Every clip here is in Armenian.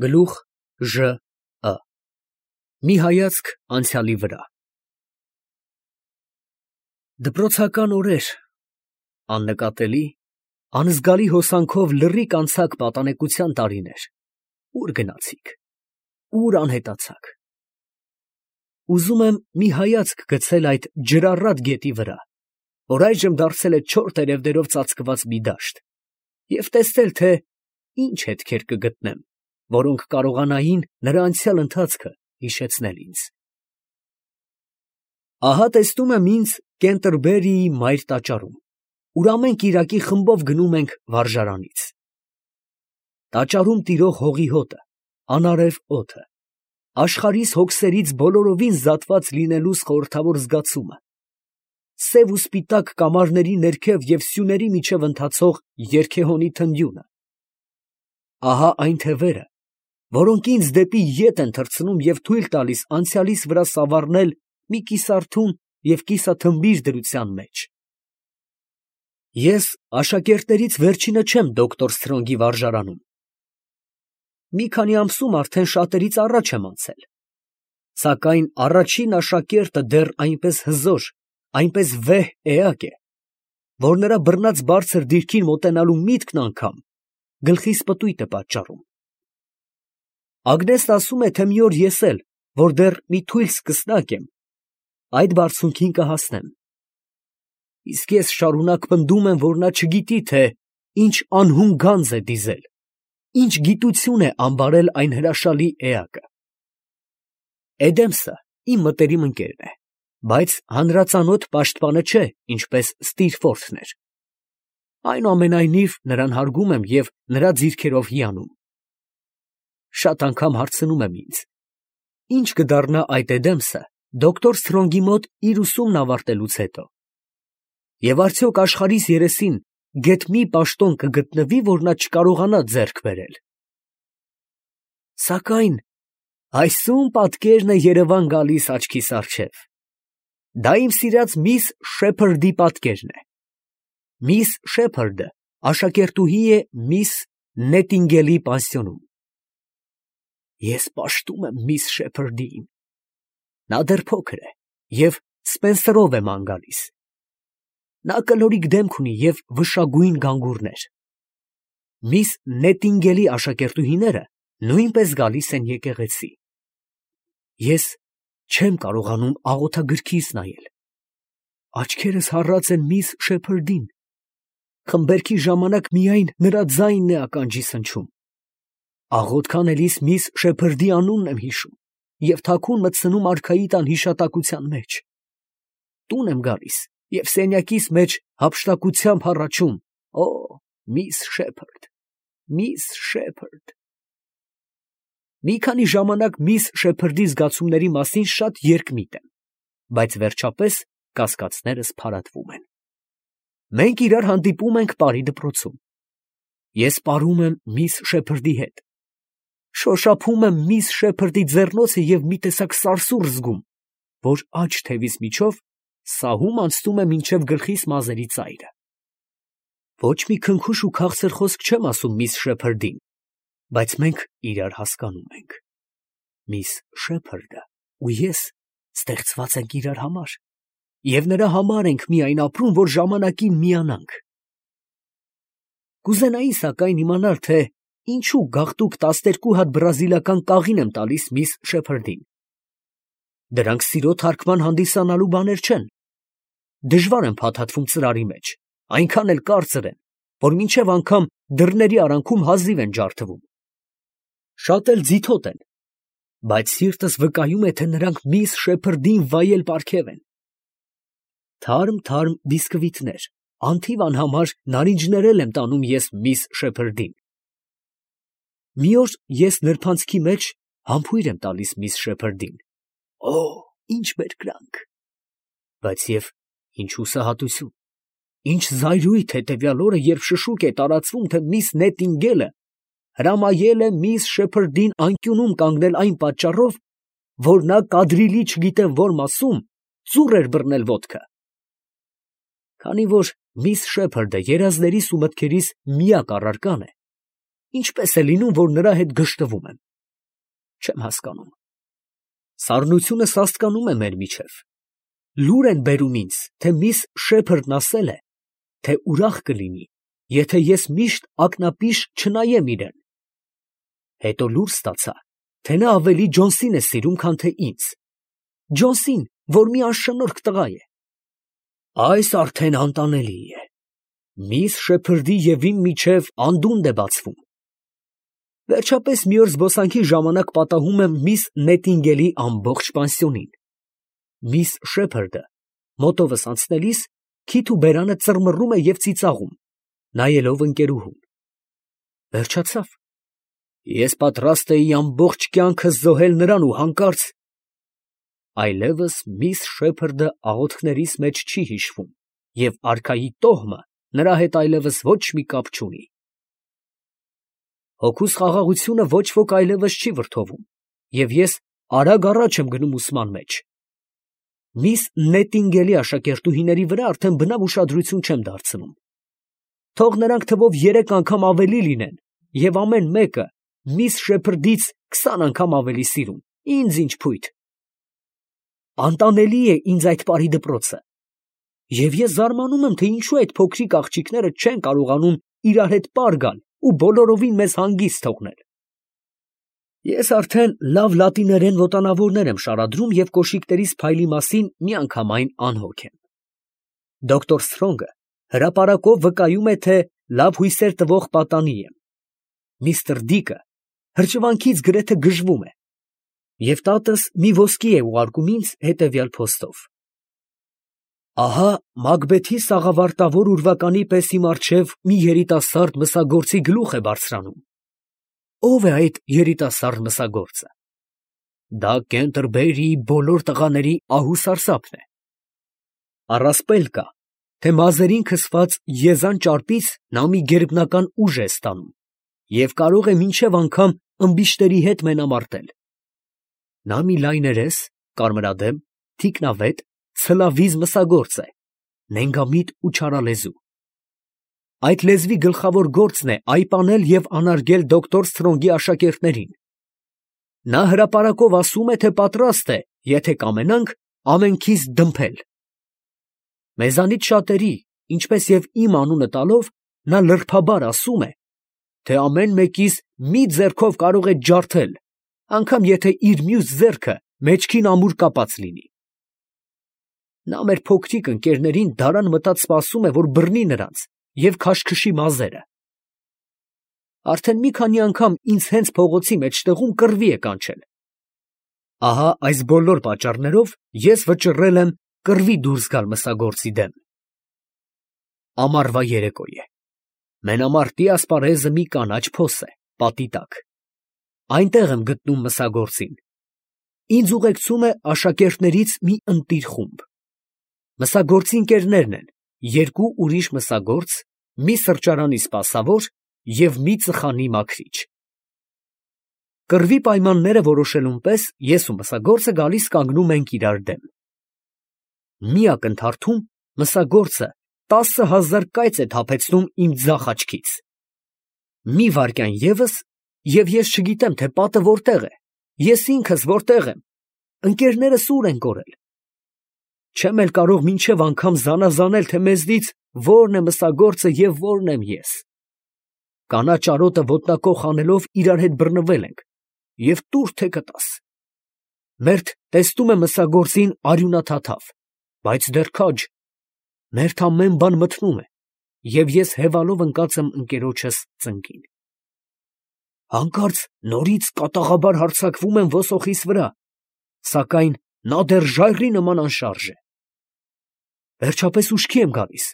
Գլուխ Ժ. Ը. Մի հայացք անցյալի վրա։ Դպրոցական օրեր, աննկատելի, անզգալի հոսանքով լռիկ անցակ պատանեկության տարիներ, ուր գնացիք, ուր անհետացաք։ Ուզում եմ մի հայացք գցել այդ ջրառատ գետի վրա, որ այժմ դարձել է չոր տերևներով ծածկված մի դաշտ, և տեսնել, թե ինչ հետքեր կգտնեմ, որոնք կարողանային նրա անցյալ ընթացքը հիշեցնել ինձ։ Ահա տեսնում եմ ինձ Կենտերբերիի մայր տաճարում, ուր ամեն կիրակի խմբով գնում ենք վարժարանից։ Տաճարում տիրող հողի հոտը, անարև օդը, աշխարհիս հոգսերից բոլորովին զատված լինելուս խորհրդավոր զգացումը, սև ու սպիտակ կամարների ներքև և սյուների միջև ընթացող երգեհոնի թնդյունը, ահա այն թևերը, որոնք ինձ դեպի ետ են թռցնում և թույլ տալիս անցյալիս վրա սավառնել մի կիսարթուն և կիսաթմբիր դրության մեջ։ Ես աշակերտներից վերջինը չեմ դոկտոր Սթրոնգի վարժարանում։ Մի քանի ամսում արդեն շատերից առաջ եմ անցել, սակայն առաջին աշակերտը դեռ այնպես հզոր, այնպես վեհ էակ է, որ նրա բռնած բարձր դիրքին մոտենալու միտքն անգամ գլխիս պտույտ է պատճառում։ Ագնեսն ասում է, թե մի օր ես էլ, որ դեռ մի թույլ սկսնակ եմ, այդ բարձունքին կհասնեմ։ Իսկ ես շարունակ պնդում եմ, որ նա չգիտի, թե ինչ անհուն գանձ է դիզել, ինչ գիտություն է ամբարել այն հրաշալի էակը։ Էդեմսը իմ մտերիմ ընկերն է, բայց հանրածանոթ պաշտպանը չէ, ինչպես Ստիրֆորթն էր։ Այնուամենայնիվ նրան հարգում եմ և նրա ձիրքերով հիանում։ Շատ անգամ հարցնում եմ ինձ. ինչ կդառնա այդ Էդեմսը դոկտոր Սթրոնգի մոտ իր ուսումն ավարտելուց հետո, և արդյոք աշխարհիս երեսին գեթ մի պաշտոն կգտնվի, որ նա չկարողանա ձեռք բերել։ Սակայն այսում պատկերն է Երևան գալիս աչքիս առջև։ Դա իմ սիրած միս Շեփրդի պատկերն է։ Միս Շեփրդը աշակերտուհի է միս Նետինգելի պանսիոնում։ Ես պաշտում եմ միս Շեփրդիին։ Նա դեռ փոքր է և Սպենսերով է ման գալիս։ Նա կլորիկ դեմք ունի և վշագույն գանգուրներ։ Միս Նետինգելի աշակերտուհիները նույնպես գալիս են եկեղեցի։ Ես չեմ կարողանում աղոթագրքիս նայել։ Աչքերս հառած են միս Շեփրդին։ Խմբերքի ժամանակ միայն նրա ձայնն է ականջիս հնչում։ Աղոթք անելիս միս Շեփրդի անունն եմ հիշում և թաքուն մտցնում արքայի տան հիշատակության մեջ։ Տուն եմ գալիս և սենյակիս մեջ հափշտակությամբ հառաչում. «Օ, միս Շեփրդ, միս Շեփրդ»։ Մի քանի ժամանակ միս Շեփրդի զգացումների մասին շատ երկմիտ եմ, բայց վերջապես կասկածներս փարատվում են։ Մենք իրար հանդիպում ենք Պարի դպրոցում։ Ես պարում եմ միս Շեփրդի հետ։ Շոշափում եմ միս Շեփրդի ձեռնոցը և մի տեսակ սարսուռ զգում, որ աջ թևիս միջով սահում անցնում է մինչև գլխիս մազերի ծայրը։ Ոչ մի քնքուշ ու քաղցր խոսք չեմ ասում միս Շեփրդին, բայց մենք իրար հասկանում ենք։ Միս Շեփրդը ու ես ստեղծված ենք իրար համար, և նրա համար ենք միայն ապրում, որ ժամանակին միանանք։ Կուզենայի սակայն իմանալ, թե ինչու գաղտուկ 12 հատ բրազիլական կաղին եմ տալիս միս Շեփրդին։ Դրանք սիրո թարգման հանդիսանալու բաներ չեն։ Դժվար են փաթաթվում ծրարի մեջ, այնքան էլ կարծր են, որ մինչև անգամ դռների արանքում հազիվ են ջարդվում։ Շատ էլ ձիթոտ են, բայց սիրտս վկայում է, թե նրանք միս Շեփրդին վայել պարգև են։ Թարմ բիսկվիտներ, անթիվ անհամար նարինջներ էլ եմ տանում ես միս Շեփրդին։ Մի օր ես նրբանցքի մեջ համբույր եմ տալիս միս Շեփրդին։ Օ, ինչ բերկրանք։ Բայց և ինչ հուսահատություն, ինչ զայրույթ հետևյալ օրը, երբ շշուկ է տարածվում, թե միս Նետինգելը հրամայել է միս Շեփրդին անկյունում կանգնել այն պատճառով, որ նա կադրիլի չգիտեմ որ մասում ծուռ էր բռնել ոտքը։ Քանի որ միս Շեփրդը երազներիս ու մտքերիս միակ առարկան է, ինչպես է լինում, որ նրա հետ գժտվում եմ։ Չեմ հասկանում։ Սառնությունը սաստկանում է մեր միջև։ Լուր են բերում ինձ, թե միս Շեփրդն ասել է, թե ուրախ կլինի, եթե ես միշտ ակնապիշ չնայեմ իրան։ Հետո լուր ստացա, թե նա ավելի Ջոնսին է սիրում, քան թե ինձ։ Ջոնսին, որ մի անշնորհք տղա է։ Այս արդեն անտանելի է։ Միս Շեփրդի և իմ միջև անդունդը է բացվում։ Վերջապես մի օր զբոսանքի ժամանակ պատահում եմ միս Նետինգելի ամբողջ պանսիոնին։ Միս Շեփրդը մոտովս անցնելիս քիթ ու բերանը ծռմռում է և ծիծաղում, նայելով ընկերուհուն։ Վերջացավ։ Ես պատրաստ էի ամբողջ կյանքս զոհել նրան ու հանկարծ… Այլևս միս Շեփրդը աղոթքներիս մեջ չի հիշվում, և արքայի տոհմը նրա հետ այլևս ոչ մի կապ չունի։ Հոգուս խաղաղությունը ոչ ոք այլևս չի վրդովում, և ես արագ առաջ եմ գնում ուսման մեջ։ Միս Նետինգելի աշակերտուհիների վրա արդեն բնավ ուշադրություն չեմ դարձնում։ Թող նրանք թվով 3 անգամ ավելի լինեն, և ամեն մեկը միս Շեփրդից 20 անգամ ավելի սիրուն, ինձ ինչ փույթ։ Անտանելի է ինձ այդ պարի դպրոցը, և ես զարմանում եմ, թե ինչու այդ փոքրիկ աղջիկները չեն կարողանում իրար հետ պար գալ ու բոլորովին մեզ հանգիստ թողնել։ Ես արդեն լավ լատիներեն ոտանավորներ եմ շարադրում և կոշիկներիս փայլի մասին միանգամայն անհոգ եմ։ Դոկտոր Սթրոնգը հրապարակով վկայում է, թե լավ հույսեր տվող պատանի եմ։ Միստր Դիկը հրճվանքից գրեթե գժվում է, և տատս մի ոսկի է ուղարկում ինձ հետևյալ փոստով. ահա Մակբեթի սաղավարտավոր ուրվականի պես իմ առջև մի երիտասարդ մսագործի գլուխ է բարձրանում։ Ո՞վ է այդ երիտասարդ մսագործը։ Դա Կենտերբերիի բոլոր տղաների ահուսարսափն է։ Առասպել կա, թե մազերին քսված եզան ճարպից նա մի գերբնական ուժ է ստանում և կարող է մինչև անգամ ըմբիշտերի հետ մենամարտել։ Նա մի լայներես, կարմրադեմ, թիկնավետ, ցլավիզ մսագործ է, նենգամիտ ու չարալեզու։ Այդ լեզվի գլխավոր գործն է այպանել և անարգել դոկտոր Սթրոնգի աշակերտներին։ Նա հրապարակով ասում է, թե պատրաստ է, եթե կամենանք, ամենքիս դմփել։ Մեզանից շատերի, ինչպես և իմ անունը տալով, նա լրբաբար ասում է, թե ամեն մեկիս մի ձեռքով կարող է ջարդել, անգամ եթե իր մյուս ձեռքը մեջքին ամուր կապած լինի։ Նա մեր փոքրիկ ընկերներին դարան մտած սպասում է, որ բռնի նրանց և քաշքշի մազերը։ Արդեն մի քանի անգամ ինձ հենց փողոցի մեջտեղում կռվի է կանչել։ Ահա այս բոլոր պատճառներով ես վճռել եմ կռվի դուրս գալ մսագործի դեմ։ Ամառվա երեկո է։ Մենամարտի ասպարեզը մի կանաչ փոս է, պատի տակ։ Այնտեղ եմ գտնում մսագործին։ Ինձ ուղեկցում է աշակերտներից մի ընտիր խումբ։ Մսագործի ընկերներն են, 2 ուրիշ մսագործ, մի սրճարանի սպասավոր և մի ծխանի մաքրիչ։ Կռվի պայմանները որոշելուն պես ես ու մսագործը գալիս կանգնում ենք իրար դեմ։ Մի ակնթարթում մսագործը 10,000 կայծ է թափեցնում իմ ձախ աչքից։ Մի վայրկյան ևս, և ես չգիտեմ, թե պատը որտեղ է, ես ինքս որտեղ եմ, ընկերներս ուր են կորել։ Չեմ էլ կարող մինչև անգամ զանազանել, թե մեզնից որն է մսագործը և որն եմ ես։ Կանաչ արոտը ոտնակոխ անելով իրար հետ բռնվել ենք, և տուր թե կտաս։ Մերթ տեսնում է մսագործին արյունաթաթավ, բայց դեռ քաջ։ Մերթ ամեն բան մթնում է, և ես հևալով ընկած եմ ընկերոջս ծնկին։ Հանկարծ նորից կատաղաբար հարձակվում եմ ոսոխիս վրա, սակայն նա դեռ ժայռի նման անշարժ է։ Վերջապես ուշքի եմ գալիս,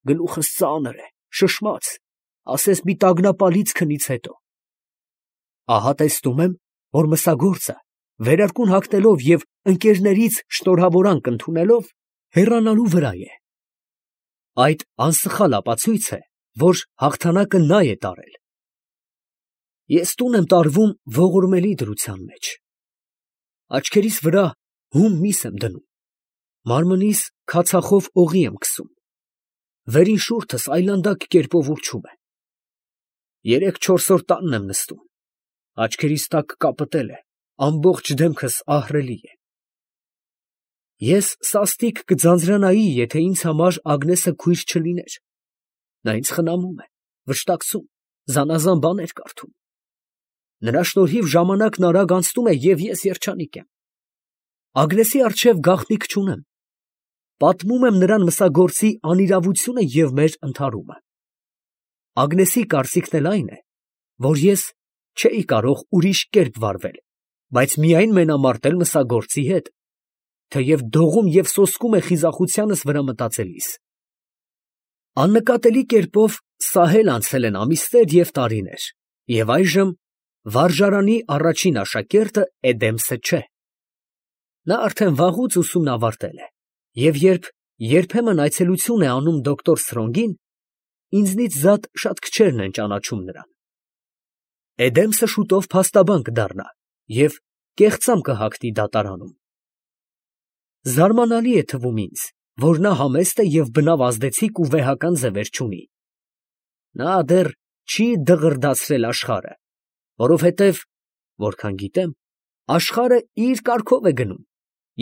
գլուխս ծանր է, շշմած, ասես մի տագնապալից քնից հետո։ Ահա տեսնում եմ, որ մսագործը, վերարկուն հագնելով և ընկերներից շնորհավորանք ընդունելով, հեռանալու վրա է։ Այդ անսխալ ապացույց է, որ հաղթանակը նա է տարել։ Ես տուն եմ տարվում ողորմելի դրության մեջ։ Աչքերիս վրա հում միս եմ դնում, մարմնիս քացախով օղի եմ քսում, վերին շուրթս այլանդակ կերպով ուռչում է։ 3-4 օր տանն եմ նստում, աչքերիս տակ կապտել է, ամբողջ դեմքս ահռելի է։ Ես սաստիկ կձանձրանայի, եթե ինձ համար Ագնեսը քույր չլիներ։ Նա ինձ խնամում է, վշտակցում, զանազան բաներ կարդում։ Նրա շնորհիվ ժամանակն արագ անցնում է, և ես երջանիկ եմ։ Ագնեսի առջև գաղտնիք չունեմ։ Պատմում եմ նրան մսագործի անիրավությունը և մեր ընդհարումը։ Ագնեսի կարծիքն էլ այն է, որ ես չէի կարող ուրիշ կերպ վարվել, բայց միայն մենամարտել մսագործի հետ, թեև դողում և սոսկում է խիզախությանս վրա մտածելիս։ Աննկատելի կերպով սահել անցել են ամիսներ և տարիներ, և այժմ վարժարանի առաջին աշակերտը Էդեմսը չէ։ Նա արդեն վաղուց ուսումն ավարտել է, և երբ երբեմն այցելություն է անում դոկտոր Սրոնգին, ինձնից զատ շատ քչերն են ճանաչում նրան։ Էդեմսը շուտով փաստաբան կդառնա և կեղծամ կհագնի դատարանում։ Զարմանալի է թվում ինձ, որ նա համեստ է և բնավ ազդեցիկ ու վեհական ձևեր չունի։ Նա դեռ չի դղրդացրել աշխարհը, որովհետև, որքան գիտեմ, աշխարհը իր կարգով է գնում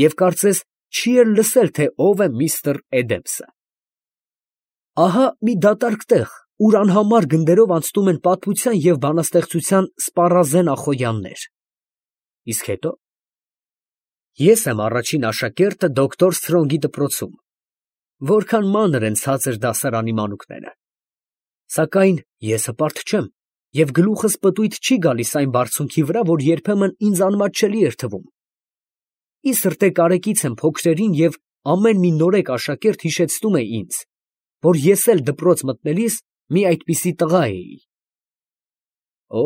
և կարծես չի էլ լսել, թե ով է միստր Էդեմսը։ Ահա մի դատարկ տեղ, ուր անհամար գնդերով անցնում են պատմության և բանաստեղծության սպառազեն ախոյաններ։ Իսկ հետո։ Ես եմ առաջին աշակերտը դոկտոր Սրոնգի դպրոցում, որքան մանր են ցածր դասարանի մանուկները։ Սակայն ես հպարտ չեմ, և գլուխս պտույտ չի գալիս այն բարձունքի վրա, որ երբեմն ինձ անմատչելի էր թվում։ Ի սրտե կարեկից եմ փոքրերին, և ամեն մի նորեկ աշակերտ հիշեցնում է ինձ, որ ես էլ դպրոց մտնելիս մի այդպիսի տղա էի։ Օ,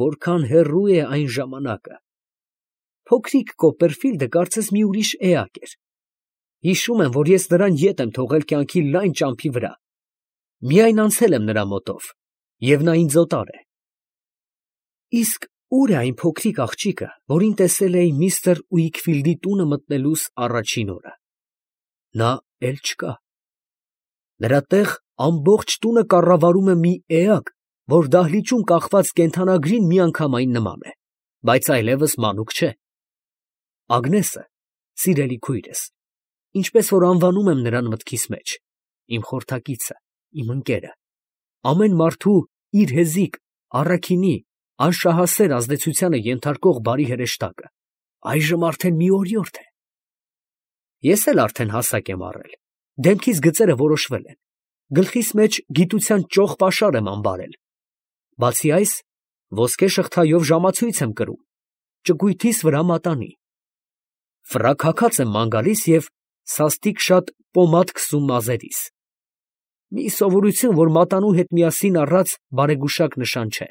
որքան հեռու է այն ժամանակը։ Փոքրիկ Կոպերֆիլդը կարծես մի ուրիշ էակ էր։ Հիշում եմ, որ ես նրան ետ եմ թողել կյանքի լայն ճամփի վրա։ Միայն անցել եմ նրա մոտով, և նա ինձ օտար է։ Իսկ ո՞ւր է այն փոքրիկ աղջիկը, որին տեսել էի միստր Ուիքֆիլդի տունը մտնելուս առաջին օրը։ Նա էլ չկա։ Նրա տեղ ամբողջ տունը կառավարում է մի էակ, որ դահլիճում կախված կենդանագրին միանգամայն նման է, բայց այլևս մանուկ չէ։ Ագնեսը, սիրելի քույրս, ինչպես որ անվանում եմ նրան մտքիս մեջ, իմ խորհրդակիցը, իմ ընկերը, ամեն մարդու իր հեզիկ, առաքինի, անշահասեր ազդեցությանը ենթարկող բարի հրեշտակը, այժմ արդեն մի օրիորդ է։ Ես էլ արդեն հասակ եմ առել, դեմքիս գծերը որոշվել են, գլխիս մեջ գիտության ճոխ պաշար եմ ամբարել։ Բացի այս, ոսկե շղթայով ժամացույց եմ կրում, ճկույթիս վրա մատանի։ Ֆրակ հագած եմ ման գալիս և սաստիկ շատ պոմադ քսում մազերիս։ Մի սովորություն, որ մատանու հետ միասին առած բարեգուշակ նշան չէ։